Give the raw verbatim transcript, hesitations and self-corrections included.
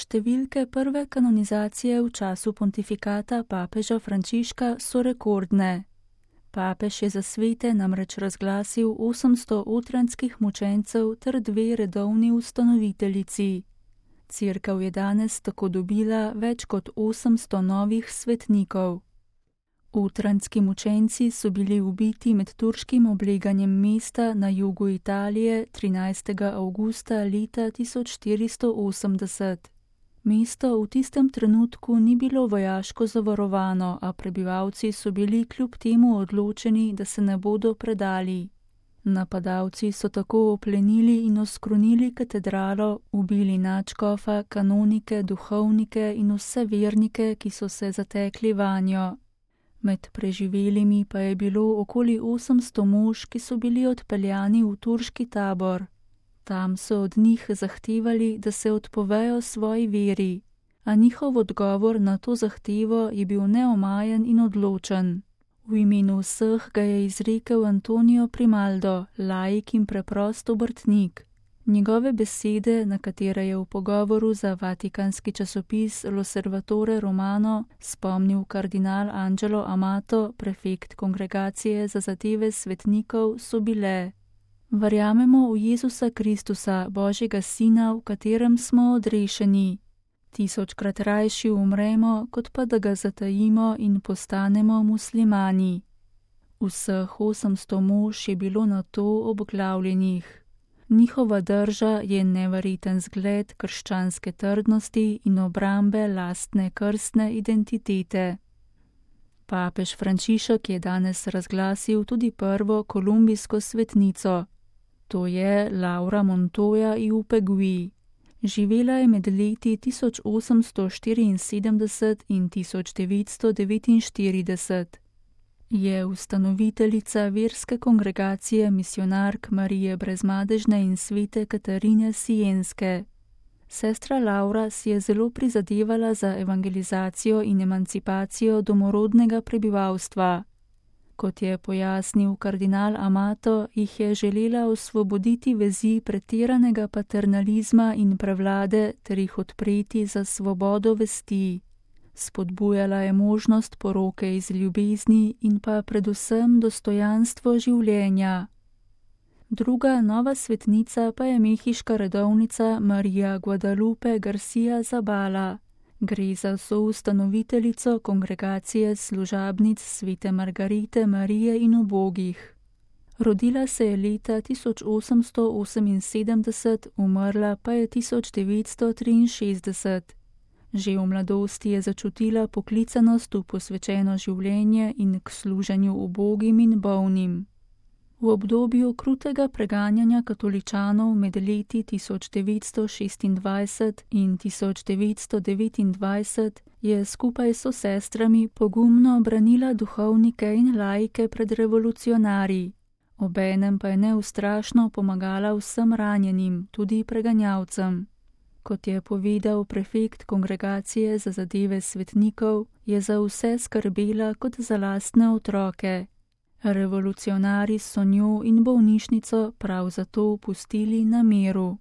Številke prve kanonizacije v času pontifikata papeža Frančiška so rekordne. Papež je za svete namreč razglasil osemsto otranskih mučencev ter dve redovni ustanoviteljici. Cerkev je danes tako dobila več kot osemsto novih svetnikov. Otranski mučenci so bili ubiti med turškim obleganjem mesta na jugu Italije trinajstega avgusta leta tisoč štiristo osemdeset. Mesto v tistem trenutku ni bilo vojaško zavarovano, a prebivalci so bili kljub temu odločeni, da se ne bodo predali. Napadalci so tako oplenili in oskrunili katedralo, ubili nadškofa, kanonike, duhovnike in vse vernike, ki so se zatekli vanjo. Med preživelimi pa je bilo okoli osemsto mož, ki so bili odpeljani v turški tabor. Tam so od njih zahtevali, da se odpovejo svoji veri, a njihov odgovor na to zahtevo je bil neomajen in odločen. V imenu vseh ga je izrekel Antonio Primaldo, laik in preprost obrtnik. Njegove besede, na katere je v pogovoru za vatikanski časopis L'Osservatore Romano spomnil kardinal Angelo Amato, prefekt Kongregacije za zadeve svetnikov, so bile: Verjamemo v Jezusa Kristusa, Božjega Sina, v katerem smo odrešeni. Tisočkrat rajši umremo, kot pa da ga zatajimo in postanemo muslimani. Vseh osemsto mož je bilo na to obglavljenih. Njihova drža je neverjeten zgled krščanske trdnosti in obrambe lastne krstne identitete. Papež Frančišek je danes razglasil tudi prvo kolumbijsko svetnico. To je Laura Montoya y Upegui. Živela je med leti tisoč osemsto štiriinsedemdeset in tisoč devetsto devetinštirideset. Je ustanoviteljica verske kongregacije misionark Marije Brezmadežne in svete Katarine Sienske. Sestra Laura si je zelo prizadevala za evangelizacijo in emancipacijo domorodnega prebivalstva. Kot je pojasnil kardinal Amato, jih je želela osvoboditi vezi pretiranega paternalizma in prevlade ter jih odpreti za svobodo vesti. Spodbujala je možnost poroke iz ljubezni in pa predvsem dostojanstvo življenja. Druga nova svetnica pa je mehiška redovnica Marija Guadalupe Garcia Zabala. Gre za soustanoviteljico kongregacije služabnic svete Margarite Marije in ubogih. Rodila se je leta tisoč osemsto oseminsedemdeset, umrla pa je tisoč devetsto triinšestdeset. Že v mladosti je začutila poklicanost v posvečeno življenje in k služenju ubogim in bolnim. V obdobju krutega preganjanja katoličanov med leti tisoč devetsto šestindvajset in tisoč devetsto devetindvajset je skupaj s sestrami pogumno branila duhovnike in laike pred revolucionarji. Obenem pa je neustrašno pomagala vsem ranjenim, tudi preganjavcem. Kot je povedal prefekt Kongregacije za zadeve svetnikov, je za vse skrbela kot za lastne otroke. Revolucionarji so njo in bolnišnico prav zato pustili na miru.